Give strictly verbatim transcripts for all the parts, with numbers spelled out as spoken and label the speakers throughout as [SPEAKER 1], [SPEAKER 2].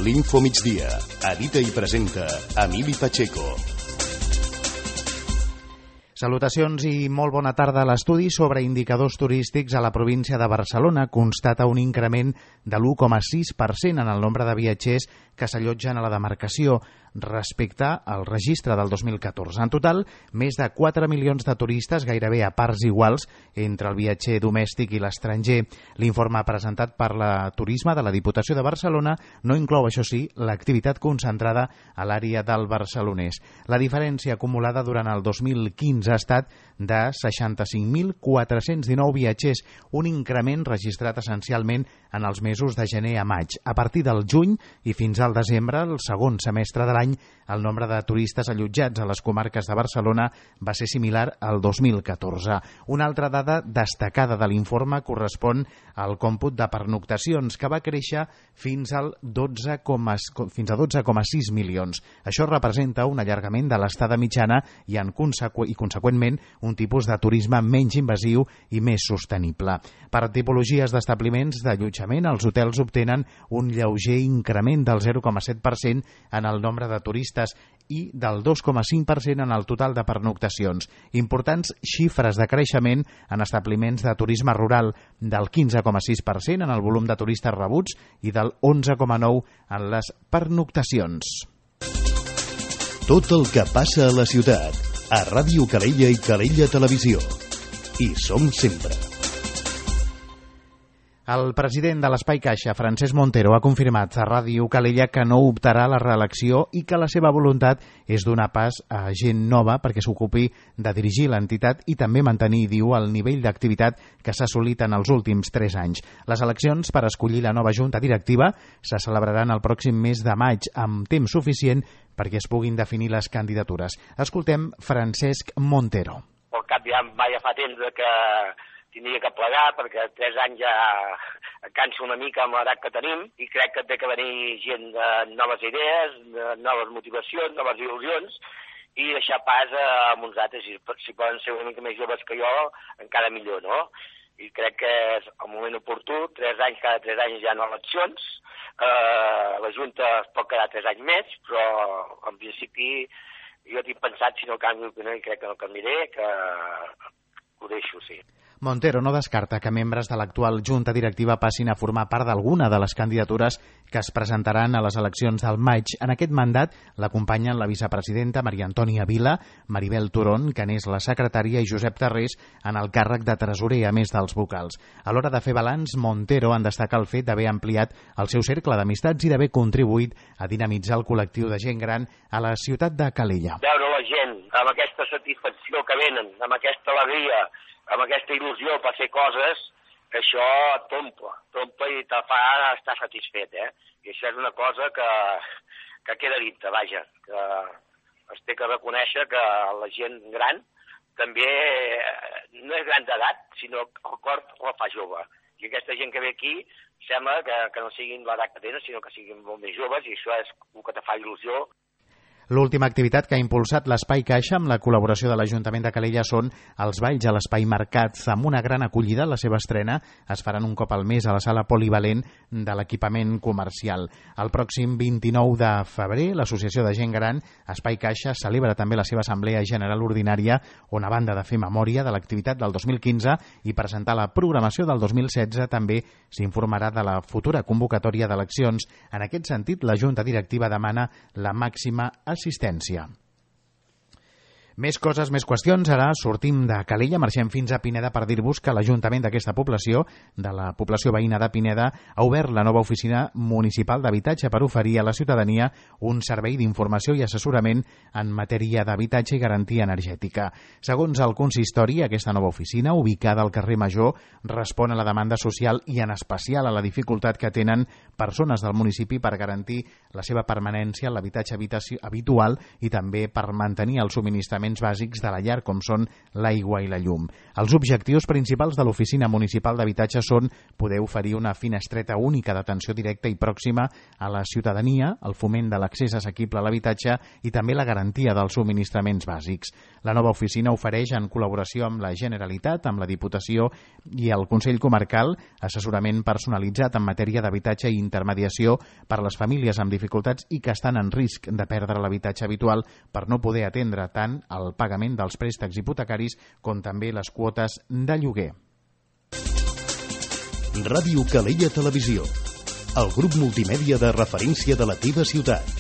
[SPEAKER 1] L'Info Migdia. Edita i presenta Emili Pacheco.
[SPEAKER 2] Salutacions i molt bona tarda. L'estudi sobre indicadors turístics a la província de Barcelona constata un increment de l'u coma sis per cent en el nombre de viatgers que s'allotgen a la demarcació respecte al registre del dos mil catorze. En total, més de quatre milions de turistes, gairebé a parts iguals entre el viatger domèstic i l'estranger. L'informe presentat per la Turisme de la Diputació de Barcelona no inclou, això sí, l'activitat concentrada a l'àrea del barcelonès. La diferència acumulada durant el dos mil quinze ha estat de seixanta-cinc mil quatre-cents dinou viatgers, un increment registrat essencialment en els mesos de gener a maig. A partir del juny i fins al desembre, el segon semestre de l'any, el nombre de turistes allotjats a les comarques de Barcelona va ser similar al dos mil catorze. Una altra dada destacada de l'informe correspon al còmput de pernoctacions, que va créixer fins al dotze coma sis milions. Això representa un allargament de l'estada mitjana i, en consequ i conseqüentment, un tipus de turisme menys invasiu i més sostenible. Per tipologies d'establiments d'allotjament, els hotels obtenen un lleuger increment del zero coma set per cent en el nombre de turistes i del dos coma cinc per cent en el total de pernoctacions. Importants xifres de creixement en establiments de turisme rural, del quinze coma sis per cent en el volum de turistes rebuts i del onze coma nou per cent en les pernoctacions.
[SPEAKER 1] Tot el que passa a la ciutat, a Ràdio Calella i Calella Televisió. Hi som sempre.
[SPEAKER 2] El president de l'Espai Caixa, Francesc Montero, ha confirmat a Ràdio Calella que no optarà a la reelecció i que la seva voluntat és donar pas a gent nova perquè s'ocupi de dirigir l'entitat i també mantenir, diu, el nivell d'activitat que s'ha assolit en els últims tres anys. Les eleccions per escollir la nova junta directiva se celebraran el pròxim mes de maig, amb temps suficient perquè es puguin definir les candidatures. Escoltem Francesc Montero.
[SPEAKER 3] Al cap ja, ja fa temps que tindria que plegar, perquè tres anys ja cansa una mica amb l'edat que tenim i crec que té que venir gent de noves idees, de noves motivacions, noves il·lusions i deixar pas a uns altres. Si, si poden ser una mica més joves que jo, encara millor, no? I crec que és el moment oportú, tres anys, cada tres anys hi ha eleccions, eh, la Junta es pot quedar tres anys més, però en principi jo tinc pensat, si no canvio d'opinió, i crec que no canviaré, que ho deixo, sí.
[SPEAKER 2] Montero no descarta que membres de l'actual Junta Directiva passin a formar part d'alguna de les candidatures que es presentaran a les eleccions del maig. En aquest mandat l'acompanyen la vicepresidenta Maria Antònia Vila, Maribel Turón, que n'és la secretària, i Josep Tarrés en el càrrec de tresorer, a més dels vocals. A l'hora de fer balanç, Montero en destaca el fet d'haver ampliat el seu cercle d'amistats i d'haver contribuït a dinamitzar el col·lectiu de gent gran a la ciutat de Calella.
[SPEAKER 3] Veure la gent amb aquesta satisfacció que venen, amb aquesta alegria, amb aquesta il·lusió per fer coses, això t'omple, t'omple i te fa estar satisfet, eh? I això és una cosa que, que queda dintre, vaja, que es té que reconèixer que la gent gran també no és gran d'edat, sinó que el cor la fa jove. I aquesta gent que ve aquí sembla que, que no siguin l'edat que tenen, sinó que siguin molt més joves, i això és el que te fa il·lusió.
[SPEAKER 2] L'última activitat que ha impulsat l'Espai Caixa amb la col·laboració de l'Ajuntament de Calella són els balls a l'Espai Mercats, amb una gran acollida. La seva estrena es faran un cop al mes a la sala polivalent de l'equipament comercial. El pròxim vint-i-nou de febrer, l'Associació de Gent Gran Espai Caixa celebra també la seva Assemblea General Ordinària, on, a banda de fer memòria de l'activitat del dos mil quinze i presentar la programació del dos mil setze, també s'informarà de la futura convocatòria d'eleccions. En aquest sentit, la Junta Directiva demana la màxima assistència. Més coses, més qüestions. Ara sortim de Calella, marxem fins a Pineda per dir-vos que l'Ajuntament d'aquesta població, de la població veïna de Pineda, ha obert la nova oficina municipal d'habitatge per oferir a la ciutadania un servei d'informació i assessorament en matèria d'habitatge i garantia energètica. Segons el consistori, aquesta nova oficina, ubicada al carrer Major, respon a la demanda social i en especial a la dificultat que tenen persones del municipi per garantir la seva permanència en l'habitatge habitual i també per mantenir el subministrament subministraments bàsics de la llar, com són l'aigua i la llum. Els objectius principals de l'Oficina Municipal d'Habitatge són poder oferir una finestreta única d'atenció directa i pròxima a la ciutadania, el foment de l'accés assequible a l'habitatge i també la garantia dels subministraments bàsics. La nova oficina ofereix, en col·laboració amb la Generalitat, amb la Diputació i el Consell Comarcal, assessorament personalitzat en matèria d'habitatge i intermediació per a les famílies amb dificultats i que estan en risc de perdre l'habitatge habitual per no poder atendre tant el pagament dels préstecs hipotecaris com també les quotes de lloguer.
[SPEAKER 1] Ràdio Calella Televisió, el grup multimèdia de referència de la teva ciutat.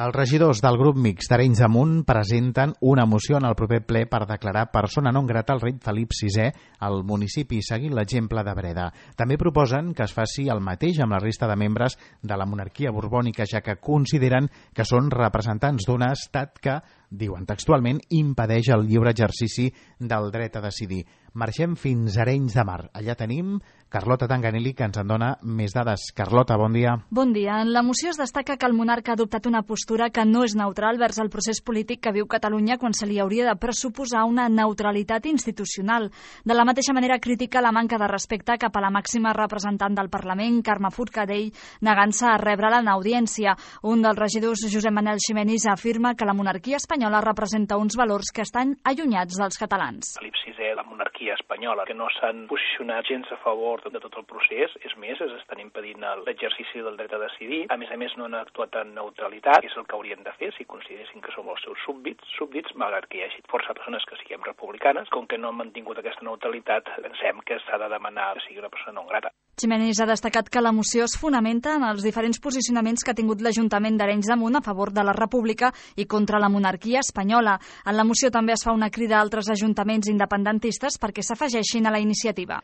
[SPEAKER 2] Els regidors del grup mixt d'Arenys de Munt presenten una moció en el proper ple per declarar persona non grata al rei Felip sisè al municipi, seguint l'exemple de Breda. També proposen que es faci el mateix amb la resta de membres de la monarquia borbònica, ja que consideren que són representants d'un estat que, diuen textualment, impedeix el lliure exercici del dret a decidir. Marxem fins a Arenys de Mar. Allà tenim Carlota Tanganelli, que ens en dona més dades. Carlota, bon dia.
[SPEAKER 4] Bon dia. En la moció es destaca que el monarca ha adoptat una postura que no és neutral vers el procés polític que viu Catalunya, quan se li hauria de pressuposar una neutralitat institucional. De la mateixa manera critica la manca de respecte cap a la màxima representant del Parlament, Carme Forcadell, negant-se a rebre'la en audiència. Un dels regidors, Josep Manel Ximenis, afirma que la monarquia espanyola representa uns valors que estan allunyats dels catalans.
[SPEAKER 5] Felip sisè, la monarquia espanyola, que no s'han posicionat gens a favor de tot el procés, és més, es estan impedint l'exercici del dret a decidir. A més a més, no han actuat en neutralitat, que és el que haurien de fer si consideressin que som els seus súbdits, súbdits, malgrat que hi hagi força persones que siguem republicanes. Com que no han mantingut aquesta neutralitat, pensem que s'ha de demanar que sigui una persona non grata.
[SPEAKER 4] Ximenis ha destacat que la moció es fonamenta en els diferents posicionaments que ha tingut l'Ajuntament d'Arenys de Munt a favor de la República i contra la monarquia espanyola. En la moció també es fa una crida a altres ajuntaments independentistes perquè s'afegeixin a la iniciativa.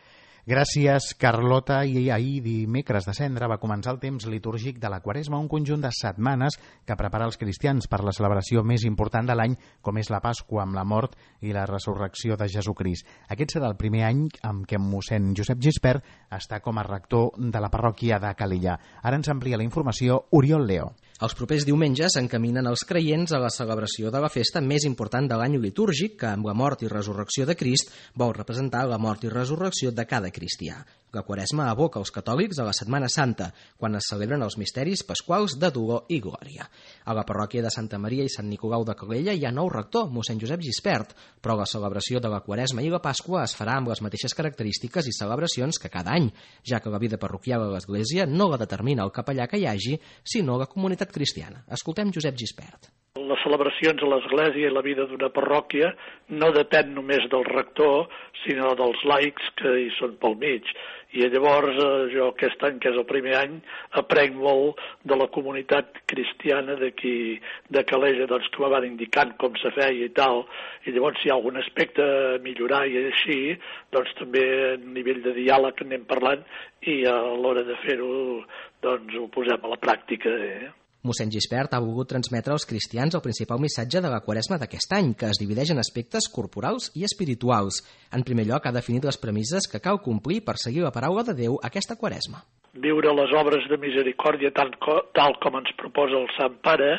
[SPEAKER 2] Gràcies, Carlota. I ahir, dimecres de Cendra, va començar el temps litúrgic de la Quaresma, un conjunt de setmanes que prepara els cristians per la celebració més important de l'any, com és la Pasqua, amb la mort i la resurrecció de Jesucrist. Aquest serà el primer any en què mossèn Josep Gispert està com a rector de la parròquia de Calella. Ara ens amplia la informació Oriol Leo.
[SPEAKER 6] Els propers diumenges encaminen els creients a la celebració de la festa més important de l'any litúrgic, que amb la mort i resurrecció de Crist vol representar la mort i resurrecció de cada cristià. La Quaresma aboca els catòlics a la Setmana Santa, quan es celebren els misteris pasquals de dolor i glòria. A la parròquia de Santa Maria i Sant Nicolau de Calella hi ha nou rector, mossèn Josep Gispert, però la celebració de la Quaresma i la Pasqua es farà amb les mateixes característiques i celebracions que cada any, ja que la vida parroquial a l'Església no la determina el capellà que hi hagi, sinó la comunitat cristiana. Escoltem Josep Gispert.
[SPEAKER 7] Les celebracions a l'Església i la vida d'una parròquia no depèn només del rector, sinó dels laics que hi són pel mig. I llavors jo aquest any, que és el primer any, aprenc molt de la comunitat cristiana d'aquí de Calella, doncs, que me van indicant com se feia i tal, i llavors si hi ha algun aspecte a millorar i així, doncs també a nivell de diàleg anem parlant i a l'hora de fer-ho doncs ho posem a la pràctica, eh?
[SPEAKER 6] Mossèn Gispert ha volgut transmetre als cristians el principal missatge de la Quaresma d'aquest any, que es divideix en aspectes corporals i espirituals. En primer lloc, ha definit les premisses que cal complir per seguir la paraula de Déu aquesta Quaresma.
[SPEAKER 7] Viure les obres de misericòrdia tal, tal com ens proposa el Sant Pare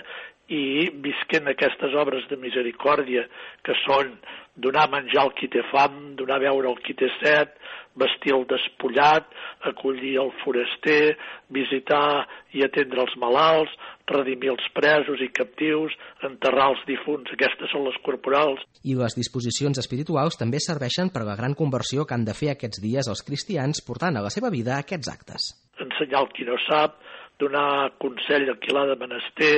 [SPEAKER 7] i visquent aquestes obres de misericòrdia, que són donar menjar al qui té fam, donar beure al qui té set, vestir el despullat, acollir el foraster, visitar i atendre els malalts, redimir els presos i captius, enterrar els difunts. Aquestes són les corporals.
[SPEAKER 6] I les disposicions espirituals també serveixen per a la gran conversió que han de fer aquests dies els cristians, portant a la seva vida aquests actes.
[SPEAKER 7] Ensenyar el qui no sap, donar consell al qui l'ha de menester,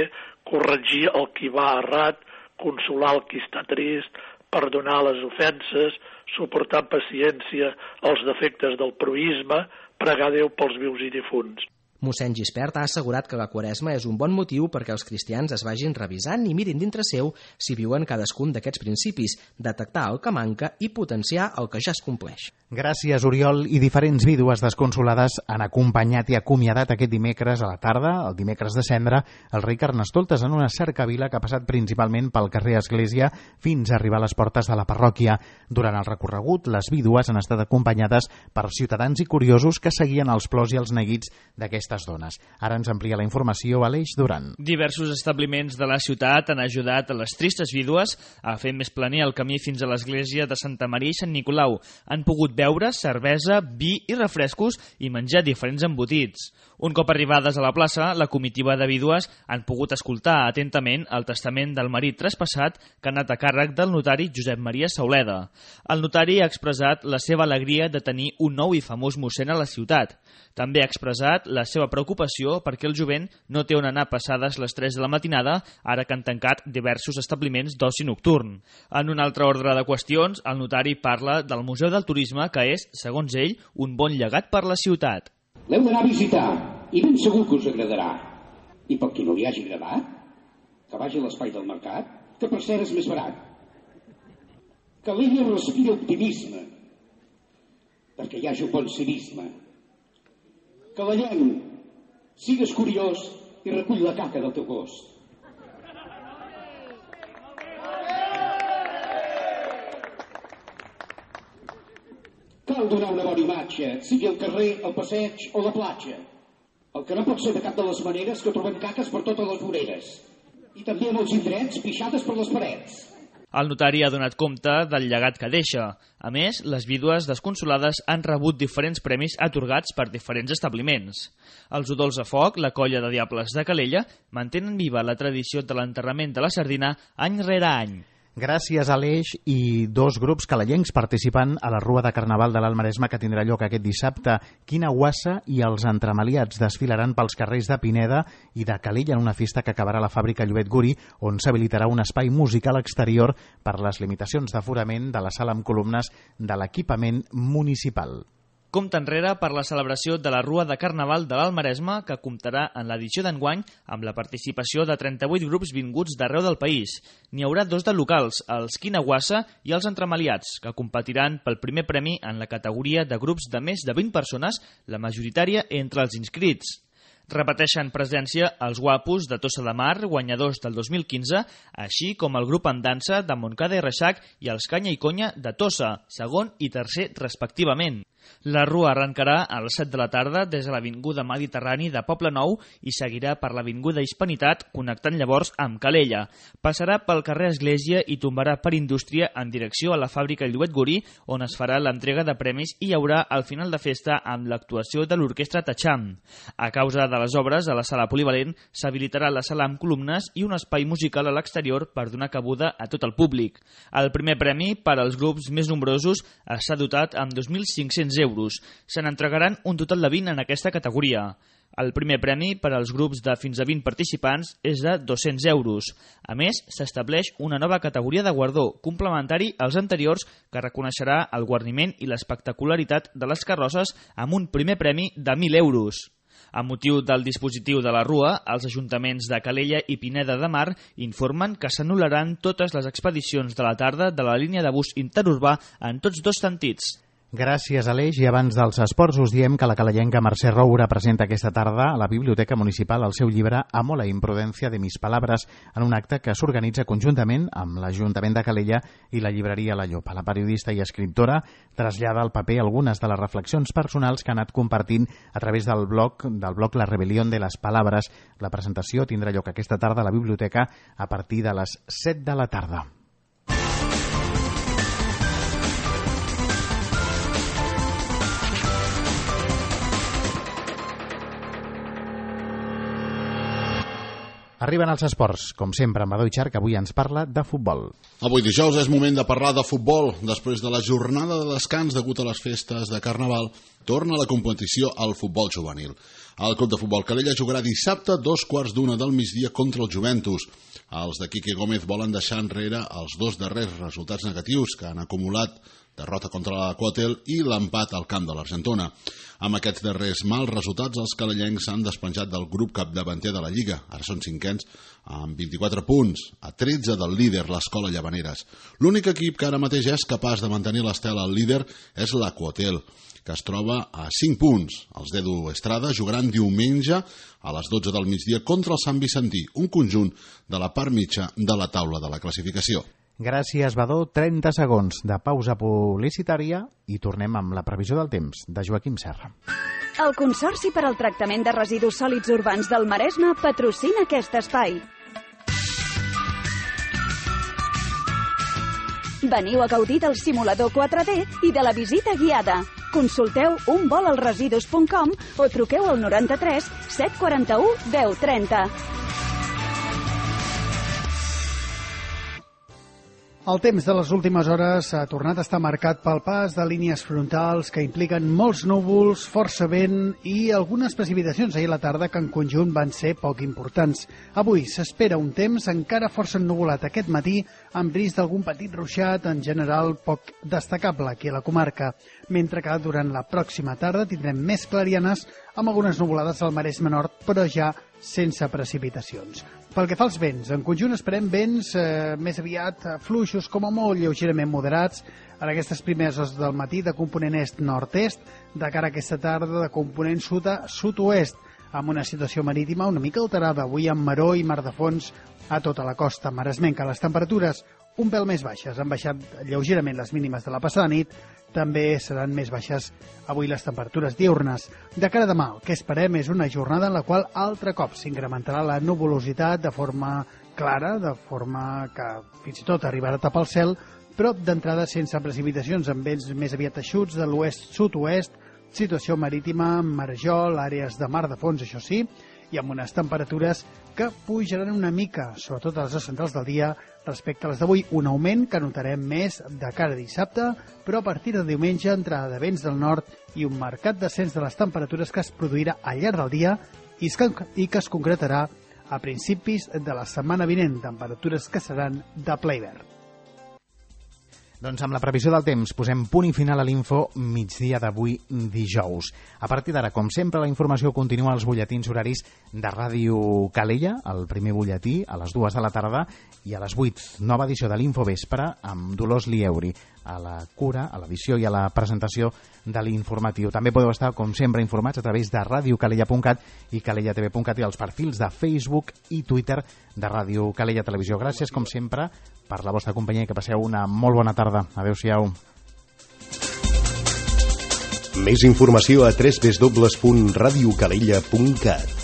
[SPEAKER 7] corregir el qui va errat, consolar el qui està trist, perdonar les ofenses, suportar amb paciència els defectes del proïsme, pregar Déu pels vius i difunts.
[SPEAKER 6] Mossèn Gispert ha assegurat que la Quaresma és un bon motiu perquè els cristians es vagin revisant i mirin dintre seu si viuen cadascun d'aquests principis, detectar el que manca i potenciar el que ja es compleix.
[SPEAKER 2] Gràcies, Oriol. I diferents vídues desconsolades han acompanyat i acomiadat aquest dimecres a la tarda, el dimecres de Cendra, el rei Carnestoltes en una cercavila que ha passat principalment pel carrer Església fins a arribar a les portes de la parròquia. Durant el recorregut, les vídues han estat acompanyades per ciutadans i curiosos que seguien els plors i els neguits d'aquestes dones. Ara ens amplia la informació Aleix Duran.
[SPEAKER 8] Diversos establiments de la ciutat han ajudat a les tristes vídues a fer més planer el camí fins a l'església de Santa Maria i Sant Nicolau. Han pogut beure cervesa, vi i refrescos i menjar diferents embotits. Un cop arribades a la plaça, la comitiva de vídues han pogut escoltar atentament el testament del marit traspassat que ha anat a càrrec del notari Josep Maria Sauleda. El notari ha expressat la seva alegria de tenir un nou i famós mossèn a la ciutat. També ha expressat la seva preocupació perquè el jovent no té on anar passades les tres de la matinada, ara que han tancat diversos establiments d'oci nocturn. En un altre ordre de qüestions, el notari parla del Museu del Turisme, que és, segons ell, un bon llegat per la ciutat.
[SPEAKER 9] L'heu d'anar a visitar i ben segur que us agradarà. I per qui no li hagi agradat, que vagi a l'espai del mercat, que per cert és més barat. Que l'ella respira optimisme, perquè hi hagi un bon civisme. Que la lleng sigues curiós i recull la caca del teu gos. Cal donar una bona imatge, sigui el carrer, el passeig o la platja. El que no pot ser de cap de les maneres que trobem caques per totes les voreres. I també en els indrets pixades per les parets.
[SPEAKER 8] El notari ha donat compte del llegat que deixa. A més, les vídues desconsolades han rebut diferents premis atorgats per diferents establiments. Els Udols a Foc, la colla de Diables de Calella, mantenen viva la tradició de l'enterrament de la sardina any rere any.
[SPEAKER 2] Gràcies, Aleix. I dos grups calellencs participen a la Rua de Carnaval de l'Alt Maresme que tindrà lloc aquest dissabte. Quina Guassa i els Entremaliats desfilaran pels carrers de Pineda i de Calella en una festa que acabarà a la fàbrica Llobet Guri, on s'habilitarà un espai musical exterior per les limitacions d'aforament de la sala amb columnes de l'equipament municipal.
[SPEAKER 8] Compte enrere per la celebració de la Rua de Carnaval de l'Alt Maresme, que comptarà en l'edició d'enguany amb la participació de trenta-vuit grups vinguts d'arreu del país. N'hi haurà dos de locals, els Quina Guassa i els Entremaliats, que competiran pel primer premi en la categoria de grups de més de vint persones, la majoritària entre els inscrits. Repeteixen presència els Guapos de Tossa de Mar, guanyadors del dos mil quinze, així com el grup en dansa de Montcada i Reixac i els Canya i Conya de Tossa, segon i tercer respectivament. La Rua arrencarà a les set de la tarda des de l'Avinguda Mediterrani de Poble Nou i seguirà per l'Avinguda Hispanitat, connectant llavors amb Calella. Passarà pel carrer Església i tombarà per Indústria en direcció a la fàbrica Llobet Guri, on es farà l'entrega de premis i hi haurà al final de festa amb l'actuació de l'Orquestra Tacham. A causa de les obres a la sala polivalent, s'habilitarà la sala amb columnes i un espai musical a l'exterior per donar cabuda a tot el públic. El primer premi per als grups més nombrosos està dotat amb dos mil cinc-cents euros. Se n'entregaran un total de vint en aquesta categoria. El primer premi per als grups de fins a vint participants és de dos-cents euros. A més, s'estableix una nova categoria de guardó, complementari als anteriors, que reconeixerà el guarniment i l'espectacularitat de les carrosses amb un primer premi de mil euros. A motiu del dispositiu de la Rua, els ajuntaments de Calella i Pineda de Mar informen que s'anul·laran totes les expedicions de la tarda de la línia de bus interurbà en tots dos sentits.
[SPEAKER 2] Gràcies, Aleix. I abans dels esports us diem que la calellenca Mercè Roura presenta aquesta tarda a la Biblioteca Municipal el seu llibre Amo la imprudència de mis palabras, en un acte que s'organitza conjuntament amb l'Ajuntament de Calella i la llibreria La Llopa. La periodista i escriptora trasllada al paper algunes de les reflexions personals que ha anat compartint a través del blog del blog La Rebelión de las Palabras. La presentació tindrà lloc aquesta tarda a la biblioteca a partir de les set de la tarda. Arriben els esports, com sempre, amb Adoi Char, que avui ens parla de futbol.
[SPEAKER 10] Avui dijous és moment de parlar de futbol. Després de la jornada de descans degut a les festes de Carnaval, torna a la competició al futbol juvenil. El Club de Futbol Calella jugarà dissabte dos quarts d'una del migdia contra el Juventus. Els de Quique Gómez volen deixar enrere els dos darrers resultats negatius que han acumulat derrota contra l'Aquatel i l'empat al camp de l'Argentona. Amb aquests darrers mals resultats, els calellencs s'han despenjat del grup capdavanter de la Lliga. Ara són cinquens amb vint-i-quatre punts, a tretze del líder, l'Escola Llavaneres. L'únic equip que ara mateix és capaç de mantenir l'estela al líder és l'Aquatel, que es troba a cinc punts. Els d'Edu Estrada jugaran diumenge a les dotze del migdia contra el Sant Vicentí, un conjunt de la part mitja de la taula de la classificació.
[SPEAKER 2] Gràcies, Badó. trenta segons de pausa publicitària i tornem amb la previsió del temps de Joaquim Serra.
[SPEAKER 11] El Consorci per al Tractament de Residus Sòlids Urbans del Maresme patrocina aquest espai. Veniu a gaudir del simulador quatre D i de la visita guiada. Consulteu un vol als residus punt com o truqueu al noranta-tres set quaranta-u deu trenta.
[SPEAKER 12] El temps de les últimes hores ha tornat a estar marcat pel pas de línies frontals que impliquen molts núvols, força vent i algunes precipitacions ahir a la tarda que en conjunt van ser poc importants. Avui s'espera un temps encara força ennuvolat aquest matí, amb risc d'algun petit ruixat, en general poc destacable aquí a la comarca, mentre que durant la pròxima tarda tindrem més clarianes amb algunes nuvolades al Maresme Nord, però ja sense precipitacions. Pel que fa als vents, en conjunt esperem vents eh, més aviat fluixos, com a molt lleugerament moderats, en aquestes primeres hores del matí de component est-nord-est, de cara a aquesta tarda de component sud a sud-oest, amb una situació marítima una mica alterada, avui amb maró i mar de fons a tota la costa maresmenca. Les temperatures un pèl més baixes, han baixat lleugerament les mínimes de la passada nit, també seran més baixes avui les temperatures diurnes. De cara a demà, el que esperem és una jornada en la qual altre cop s'incrementarà la nuvolositat de forma clara, de forma que fins i tot arribarà a tapar el cel, però d'entrada sense precipitacions, amb vents més aviat eixuts de l'oest-sud-oest, situació marítima, marejol, àrees de mar de fons, això sí, i amb unes temperatures que pujaran una mica, sobretot a les hores centrals del dia, respecte a les d'avui. Un augment que notarem més de cara a dissabte, però a partir de diumenge, entrada de vents del nord i un marcat descens de les temperatures que es produirà al llarg del dia i que es concretarà a principis de la setmana vinent, temperatures que seran de ple hivern.
[SPEAKER 2] Doncs amb la previsió del temps posem punt i final a l'info migdia d'avui dijous. A partir d'ara, com sempre, la informació continua als butlletins horaris de Ràdio Calella, el primer butlletí a les dues de la tarda i a les vuit, nova edició de l'Info Vespre amb Dolors Lieuri a la cura, a l'edició i a la presentació de l'informatiu. També podeu estar, com sempre, informats a través de ràdio calella punt cat i calella t v punt cat i els perfils de Facebook i Twitter de Ràdio Calella Televisió. Gràcies, com sempre, per la vostra companyia i que passeu una molt bona tarda. Adéu-siau.
[SPEAKER 1] Més informació a w w w punt ràdio calella punt cat.